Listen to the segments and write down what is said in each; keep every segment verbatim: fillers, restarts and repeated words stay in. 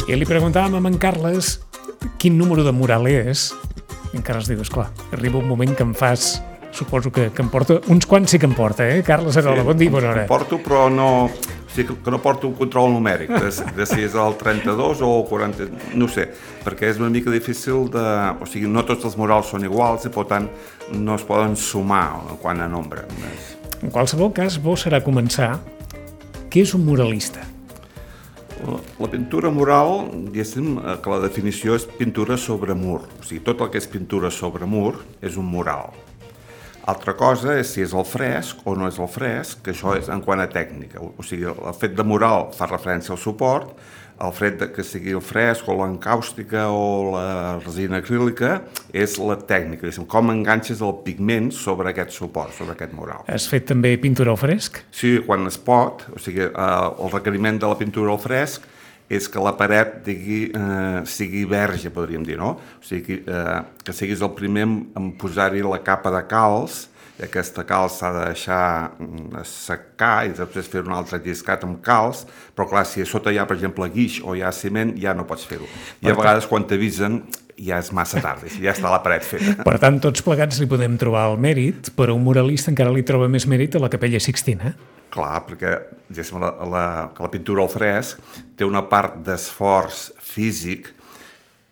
I li preguntàvem a en Carles quin número de mural és. I en Carles diu, esclar, arriba un moment que em fas... Suposo que, que em porta... Uns quants sí que em porta, eh? Carles Arola, sí, bon dia, bona hora. Em porto, però no... O sigui, que no porto un control numèric de, de si és el trenta-dos o el quaranta... No ho sé, perquè és una mica difícil de... O sigui, no tots els murals són iguals i, per tant, no es poden sumar quant a nombre. En qualsevol cas, bo serà començar. Què és un muralista? La pintura mural, diguéssim, que la definició és pintura sobre mur. O sigui, tot el que és pintura sobre mur és un mural. Altra cosa és si és el fresc o no és el fresc, que això és en quant a tècnica. O sigui, el fet de mural fa referència al suport, el fet de que sigui el fresc o l'encàustica o la resina acrílica és la tècnica, com enganxes el pigment sobre aquest suport, sobre aquest mural. Has fet també pintura al fresc? Sí, quan es pot. O sigui, el requeriment de la pintura al fresc és que la paret digui, eh, sigui verge, podríem dir, no? O sigui, eh, que siguis el primer en posar-hi la capa de calç, i aquesta calç s'ha de deixar secar i després fer un altre lliscat amb calç, però clar, si a sota hi ha, per exemple, guix o hi ha ciment, ja no pots fer-ho. I a vegades quan t'avisen ja és massa tard, ja està la paret feta. Per tant, tots plegats li podem trobar el mèrit, però un muralista encara li troba més mèrit a la Capella Sixtina. Clar, perquè la, la, la pintura al fresc té una part d'esforç físic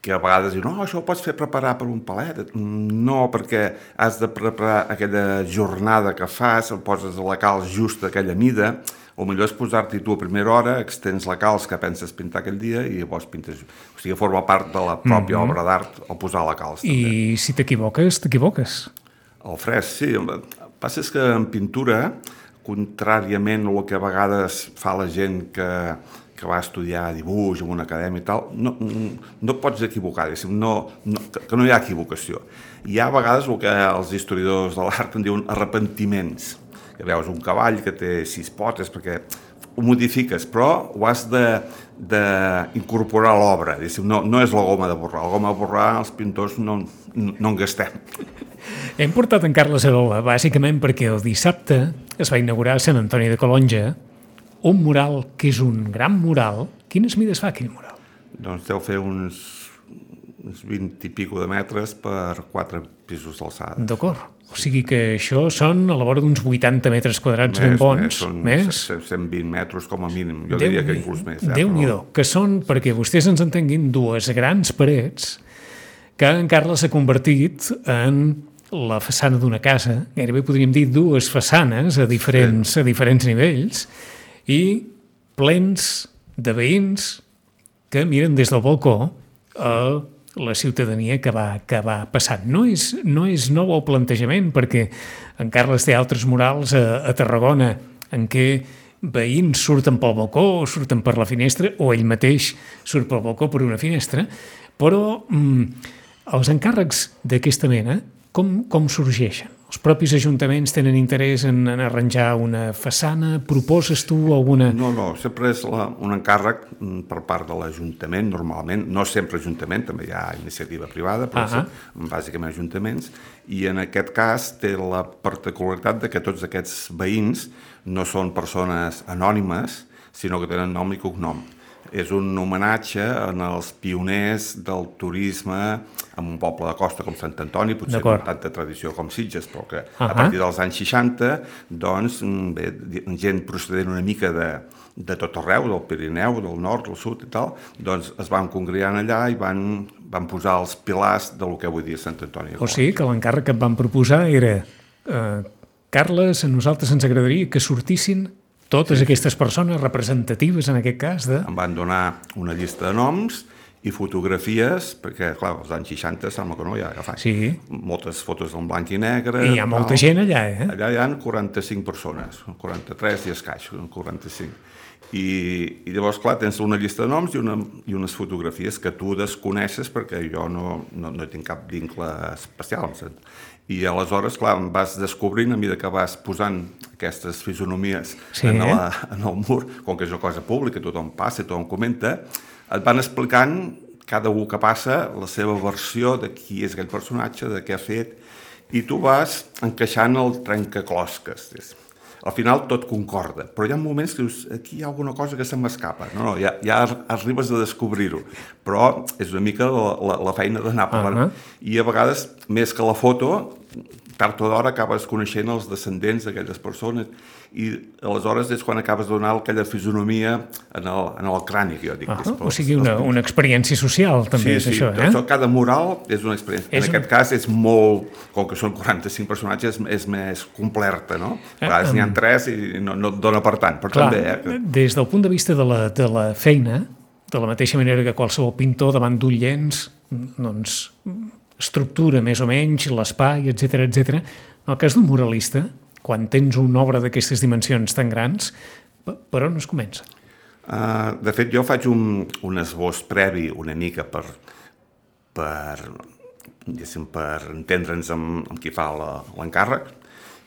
que a vegades diu, no, això ho pots fer preparar per un palet. No, perquè has de preparar aquella jornada que fas, poses la calç just a aquella mida, o millor és posar-t'hi tu a primera hora, extens la calç que penses pintar aquell dia i llavors pintes. O sigui, forma part de la pròpia mm-hmm. obra d'art o posar la calç. I també. Si t'equivoques, t'equivoques. El fresc, sí. El que passa és que en pintura, contràriament al que a vegades fa la gent que, que va estudiar dibuix en una acadèmia i tal, no, no pots equivocar, no, no, que no hi ha equivocació. Hi ha a vegades el que els historiadors de l'art en diuen arrepentiments, que veus un cavall que té sis potes perquè ho modifiques, però ho has d'incorporar a l'obra. No, no és la goma de borrar. La goma de borrar els pintors no, no en gastem. Hem portat en Carles Arola, bàsicament perquè el dissabte es va inaugurar a Sant Antoni de Calonge un mural que és un gran mural. Quines mides fa aquell mural? Doncs deu fer uns, uns vint i pico de metres per quatre pisos d'alçada. D'acord. O sigui que això són a la vora d'uns vuitanta metres quadrats ben bons. Més, són més? cent vint metres com a mínim. Jo Déu diria que inclús més. Eh? Déu-n'hi-do, que són, perquè vostès ens entenguin, dues grans parets que en Carles s'ha convertit en la façana d'una casa, gairebé podríem dir dues façanes a diferents, sí. a diferents nivells, i plens de veïns que miren des del balcó a la ciutadania que va, que va passant. No és, no és nou el plantejament, perquè en Carles té altres murals a, a Tarragona en què veïns surten pel balcó o surten per la finestra, o ell mateix surt pel balcó per una finestra, però mm, els encàrrecs d'aquesta mena com, com sorgeixen? Els propis ajuntaments tenen interès en, en arranjar una façana? Proposes tu alguna... No, no, sempre és la, un encàrrec per part de l'Ajuntament, normalment, no sempre Ajuntament, també hi ha iniciativa privada, però uh-huh. sí, bàsicament ajuntaments, i en aquest cas té la particularitat de que tots aquests veïns no són persones anònimes, sinó que tenen nom i cognom. És un homenatge en els pioners del turisme en un poble de costa com Sant Antoni, potser amb tanta tradició com Sitges, però que uh-huh. a partir dels anys seixanta, doncs, bé, gent procedent una mica de, de tot arreu, del Pirineu, del nord, del sud i tal, doncs es van congregant allà i van, van posar els pilars del que avui dia Sant Antoni. O sigui que l'encàrrec que et van proposar era eh, Carles, a nosaltres ens agradaria que sortissin totes sí, aquestes persones representatives, en aquest cas, de... Em van donar una llista de noms i fotografies, perquè, clar, als anys seixanta sembla que no, ja, ja fa sí. moltes fotos en blanc i negre. I hi ha molta tal. Gent allà, eh? Allà hi ha quaranta-cinc persones, quaranta-tres i escaix, quaranta-cinc. I, i llavors, clar, tens una llista de noms i, una, i unes fotografies que tu desconeixes perquè jo no, no, no tinc cap vincle especial. I aleshores, clar, em vas descobrint a mesura que vas posant aquestes fisonomies sí. en, la, en el mur, com que és una cosa pública, tothom passa, tothom comenta, et van explicant cada un que passa la seva versió de qui és aquell personatge, de què ha fet, i tu vas encaixant el trencaclosques. al final tot concorda, però hi ha moments que dius, aquí hi ha alguna cosa que se m'escapa. No, no, ja, ja arribes a descobrir-ho, però és una mica la, la, la feina d'anar parlant. Uh -huh. I a vegades, més que la foto, tard o d'hora acabes coneixent els descendents d'aquelles persones i aleshores és quan acabes de donar aquella fisonomia en el, en el crani, que jo dic. Uh -huh. O sigui, una, una experiència social, també, sí, és sí, això, eh? Això, cada mural és una experiència. És en un... aquest cas és molt, com que són quaranta-cinc personatges, és més completa, no? A vegades eh, n'hi ha tres i no, no et dona per tant, però clar, també... Eh, que... Des del punt de vista de la, de la feina, de la mateixa manera que qualsevol pintor davant d'un llenç, doncs, estructura més o menys l'espai, etcètera, etcètera. En el cas d'un muralista, quan tens una obra d'aquestes dimensions tan grans, per on es comença? Uh, de fet, jo faig un, un esbós previ una mica per, per, per entendre'ns amb, amb qui fa l'encàrrec,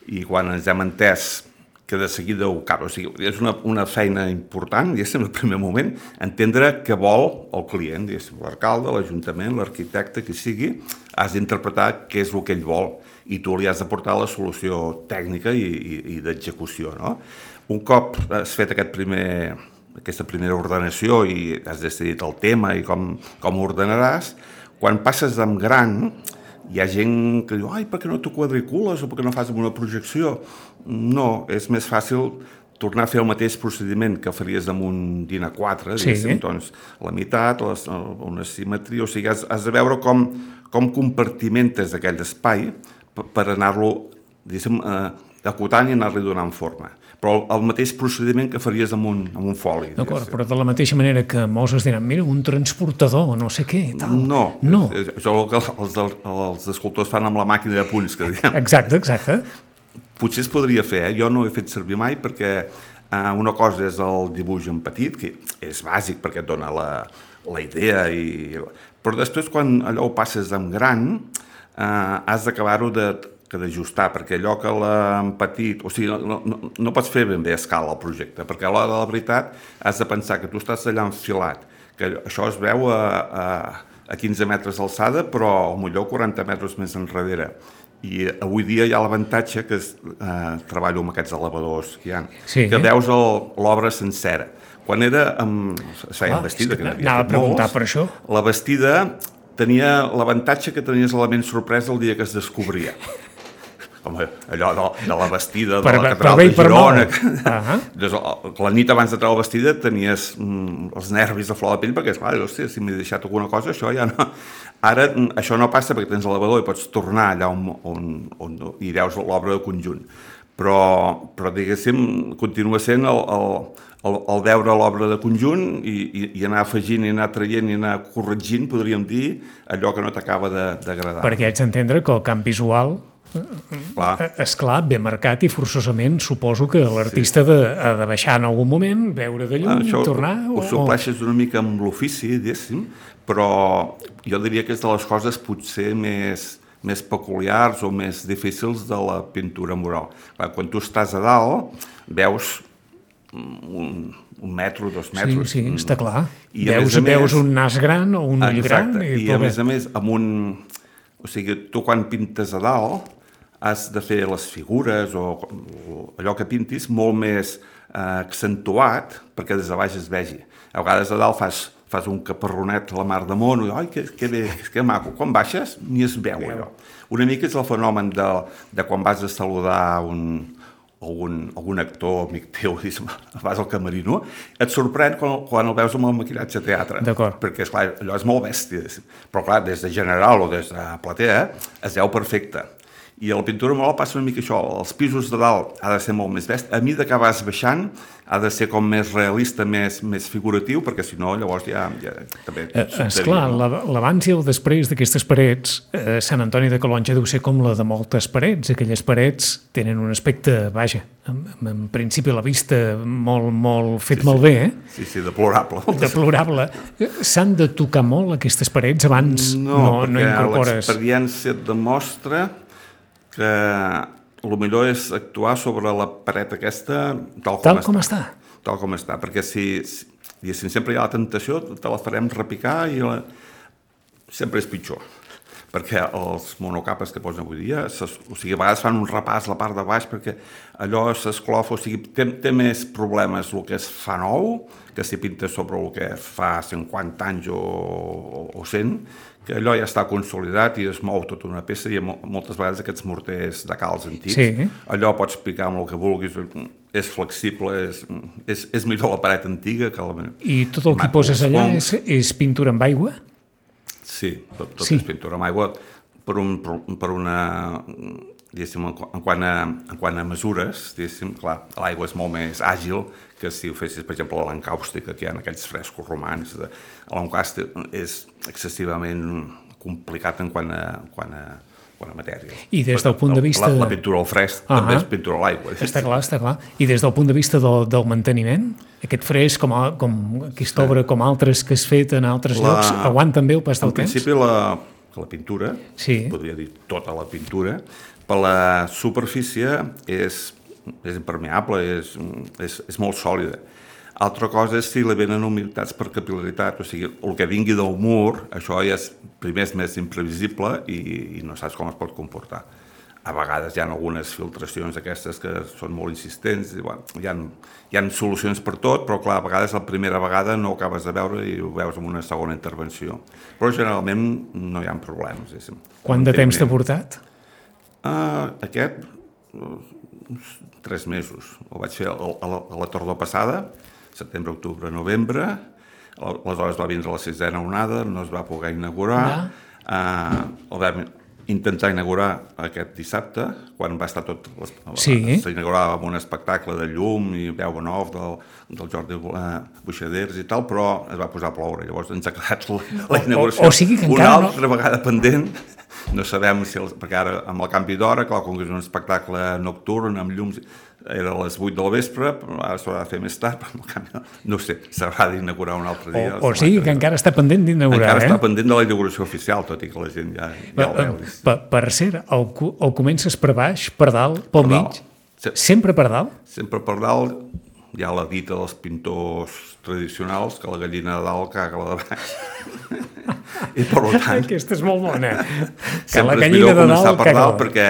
i quan ens hem entès que de seguida ho cap, o sigui, és una, una feina important, diguéssim, el primer moment, entendre què vol el client, diguéssim, l'alcalde, l'Ajuntament, l'arquitecte, qui sigui, has d'interpretar què és el que ell vol i tu li has de portar la solució tècnica i, i, i d'execució, no? Un cop has fet aquest primer, aquesta primera ordenació i has decidit el tema i com, com ho ordenaràs, quan passes amb gran, hi ha gent que diu, ai, per què no t'ho quadricules o per què no fas una projecció? No, és més fàcil tornar a fer el mateix procediment que faries amb un DIN A quatre, diguéssim, sí. Doncs la meitat, les, una simetria, o sigui, has, has de veure com, com compartimentes aquell espai per, per anar-lo, diguéssim, eh, acotant i anar-li donant forma. Però el mateix procediment que faries amb un, amb un foli. D'acord, però de la mateixa manera que molts es diran, mira, un transportador, no sé què, tal. No, no. És, és, això és el que els, els, els escultors fan amb la màquina de punys, que diem. Exacte, exacte. Potser es podria fer, eh? Jo no ho he fet servir mai perquè eh, una cosa és el dibuix en petit, que és bàsic perquè et dona la, la idea, i... però després quan allò ho passes en gran, eh, has d'acabar-ho de... que d'ajustar, perquè allò que l'han petit... O sigui, no, no, no pots fer ben bé a escala el projecte, perquè a l'hora de la veritat has de pensar que tu estàs allà enfilat, que això es veu a, a, a quinze metres d'alçada, però potser quaranta metres més enrere. I avui dia hi ha l'avantatge que es, eh, treballo amb aquests elevadors que hi ha, sí, que eh? veus l'obra sencera. Quan era amb... Feia ah, vestida, que n'havia anava a preguntar molts, per això. La vestida tenia l'avantatge que tenies l'element sorpresa el dia que es descobria. Com allò de, de la vestida de per, la catedral de Girona. Uh -huh. La nit abans de treure la vestida tenies mm, els nervis a flor de pell perquè, esclar, hòstia, si m'he deixat alguna cosa, això ja no... Ara això no passa perquè tens l'elevador i pots tornar allà on, on, on hi veus l'obra de conjunt. Però, però diguéssim, continua sent el, el, el, el veure l'obra de conjunt i, i, i anar afegint i anar traient i anar corregint, podríem dir, allò que no t'acaba d'agradar. Perquè haig d'entendre que el camp visual... Clar. Esclar, ben marcat i forçosament suposo que l'artista sí. ha de baixar en algun moment, veure de llum, això tornar... Ho, ho supleixes una mica amb l'ofici, diguéssim, però jo diria que és de les coses potser més, més peculiars o més difícils de la pintura mural. Quan tu estàs a dalt, veus un, un metro, dos metres... Sí, sí, està clar. I veus, més, veus un nas gran o un ull gran... I, i a més a més, amb un... O sigui, tu quan pintes a dalt has de fer les figures o, o allò que pintis molt més eh, accentuat perquè des de baix es vegi. A vegades a dalt fas, fas un caparronet a la mar de món i ai, que, que bé, que maco. Quan baixes ni es veu allò. Una mica és el fenomen de, de quan vas a saludar un, algun, algun actor amic teu, vas al camerino, et sorprèn quan, quan el veus amb el maquillatge a teatre. Perquè, esclar, allò és molt bèstia. Però, clar, des de general o des de platea es veu perfecte. I a la pintura mural passa una mica això, els pisos de dalt ha de ser molt més bèstia, a mesura que vas baixant ha de ser com més realista, més, més figuratiu, perquè si no llavors ja, ja també... Eh, esclar, no? L'abans i el després d'aquestes parets, eh, Sant Antoni de Calonge deu ser com la de moltes parets, aquelles parets tenen un aspecte, vaja, en, en principi a la vista molt, molt fet sí, sí. malbé, eh? Sí, sí, deplorable. Deplorable. S'han de tocar molt aquestes parets abans no, no, no incorpores... No, perquè l'experiència et demostra que el millor és actuar sobre la paret aquesta tal com, tal està. com està. Tal com està, perquè si, si sempre hi ha la tentació, te la farem repicar i la... sempre és pitjor. perquè els monocapes que posen avui dia, ses, o sigui, a vegades fan un repàs a la part de baix perquè allò s'esclofa, o sigui, té, té més problemes el que es fa nou que si pinta sobre el que fa cinquanta anys o, o, o cent, que allò ja està consolidat i es mou tota una peça i moltes vegades aquests morters de calç antics, sí. allò pots picar amb el que vulguis, és flexible, és, és, és millor la paret antiga que la... I tot el que poses allà és, és pintura amb aigua? Sí, tot, tot sí. és pintura amb aigua per, un, per una... diguéssim, en quant a, en quant a mesures, diguéssim, clar, l'aigua és molt més àgil que si ho fessis, per exemple, a l'encàustica, que hi ha aquells frescos romans. L'encàustic és excessivament complicat en quant a, quant a, quant a matèria. I des del punt de vista... La, la pintura al fresc uh-huh. també és pintura a l'aigua. Està clar, està clar. I des del punt de vista del, del manteniment, aquest fresc, com, a, com aquesta obra, com altres que has fet en altres la... llocs, aguanten bé el pas del temps? En principi, la, la pintura, sí. podria dir tota la pintura, per la superfície és, és impermeable, és, és, és molt sòlida. Altra cosa és si li venen humitats per capil·laritat, o sigui, el que vingui del mur, això ja és, primer és més imprevisible i, i no saps com es pot comportar. A vegades hi ha algunes filtracions d'aquestes que són molt insistents, i, bueno, hi, ha, hi ha solucions per tot, però clar, a vegades la primera vegada no ho acabes de veure i ho veus en una segona intervenció. Però generalment no hi ha problemes. És, Quant de temps t'ha portat? Uh, aquest, uh, tres mesos. Ho vaig fer a, a, la, a la tardor passada, setembre, octubre, novembre. Aleshores va vindre la sisena onada, no es va poder inaugurar. Uh, el vam intentar inaugurar aquest dissabte, quan va estar tot... Sí. S'inaugurava amb un espectacle de llum i veu en off del, del Jordi uh, Buixaders i tal, però es va posar a ploure. Llavors ens ha quedat la, la inauguració o, o sigui que una encara altra no... vegada pendent. No sabem si... El, perquè ara, amb el canvi d'hora, clar, com que és un espectacle nocturn, amb llums, era a les vuit del vespre, ara s'haurà de fer més tard, però canvi, no sé, s'haurà d'inaugurar un altre dia. O, o sigui que encara està pendent d'inaugurar, encara eh? Encara està pendent de la inauguració oficial, tot i que la gent ja, ja el veu. Per, per cert, el, el comences per baix, per dalt, pel per mig? Dalt. Sempre per dalt? Sempre per dalt. Hi ha la dita dels pintors tradicionals que la gallina de dalt caga la de baix. I per tant... Aquesta és molt bona. Que la gallina de dalt per dalt perquè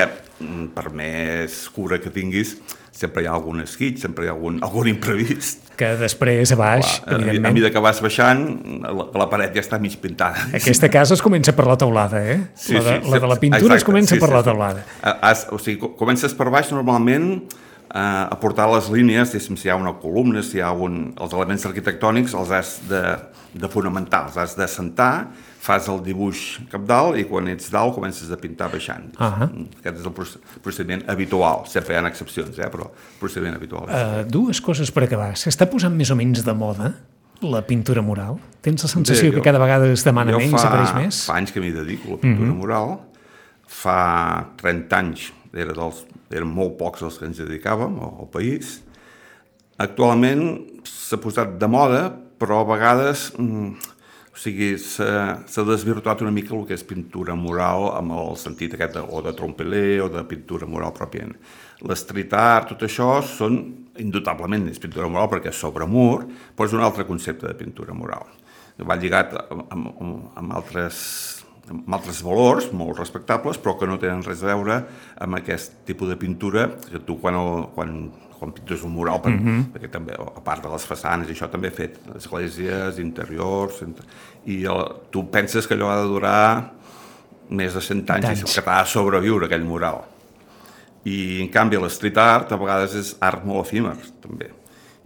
per més cura que tinguis sempre hi ha algun esquitx, sempre hi ha algun, algun imprevist. Que després a baix, clar, evidentment. A mesura que vas baixant, la, la paret ja està mig pintada. Aquesta casa es comença per la teulada, eh? Sí, la, de, sí, la de la pintura exacte, es comença sí, per sí, la teulada. Has, o sigui, comences per baix normalment eh, a portar les línies, si hi ha una columna, si hi ha un, els elements arquitectònics, els has de, de fonamentar, els has de sentar, fas el dibuix cap dalt i quan ets dalt comences a pintar baixant. Uh-huh. Aquest és el procediment habitual. Sempre hi ha excepcions, eh? Però el procediment habitual. Uh, dues coses per acabar. S'està posant més o menys de moda la pintura mural? Tens la sensació sí, jo, que cada vegada es demana menys, fa, apareix més? Fa anys que m'hi dedico a la pintura uh-huh. mural. Fa trenta anys era dels, eren molt pocs els que ens dedicàvem al, al país. Actualment s'ha posat de moda, però a vegades... Mm, O sigui, s'ha desvirtuat una mica el que és pintura mural amb el sentit aquest de, o de trompelé o de pintura mural pròpiament. L'street art, tot això, són indubtablement és pintura mural perquè és sobre mur, però és un altre concepte de pintura mural. Va lligat amb, amb, amb, altres, amb altres valors molt respectables, però que no tenen res a veure amb aquest tipus de pintura que tu quan... El, quan quan pintes un mural, per, uh-huh. perquè també, a part de les façanes, i això també he fet esglésies, interiors, i el, tu penses que allò ha de durar més de cent anys, anys. I que t'ha de sobreviure aquell mural. I, en canvi, l'street art a vegades és art molt efímer, també,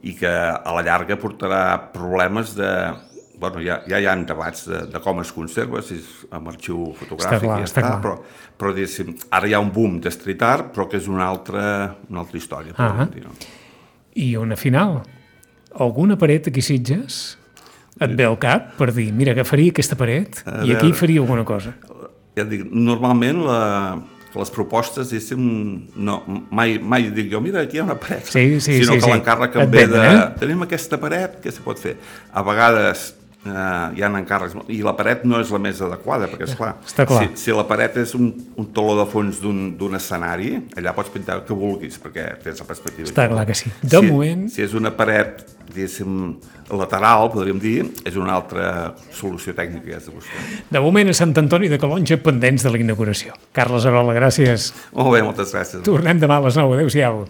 i que a la llarga portarà problemes de... Bueno, ja, ja hi ha debats de, de com es conserva, si és amb arxiu fotogràfic, clar, i ja està, està però, però diguéssim, ara hi ha un boom de street art, però que és una altra, una altra història. Uh-huh. Dir, no? I una final. Alguna paret aquí Sitges et ve al cap per dir, mira, agafaria aquesta paret a i veure, aquí faria alguna cosa? Ja dic, normalment la... les propostes, diguéssim, no, mai, mai dic jo, mira, aquí hi ha una paret, sí, sí, sinó sí, que sí. l'encàrrec em ve de... Eh? Tenim aquesta paret, què se pot fer? A vegades Uh, hi ha encàrrecs, i la paret no és la més adequada, perquè, esclar, Està clar. Si, si la paret és un, un taló de fons d'un escenari, allà pots pintar el que vulguis, perquè tens la perspectiva. Està clar que sí. De si, moment... Si és una paret, diguéssim, lateral, podríem dir, és una altra solució tècnica que has de buscar. De moment a Sant Antoni de Calonge, pendents de la inauguració. Carles Arola, gràcies. Molt bé, moltes gràcies. Tornem demà a les nou. Adéu-siau.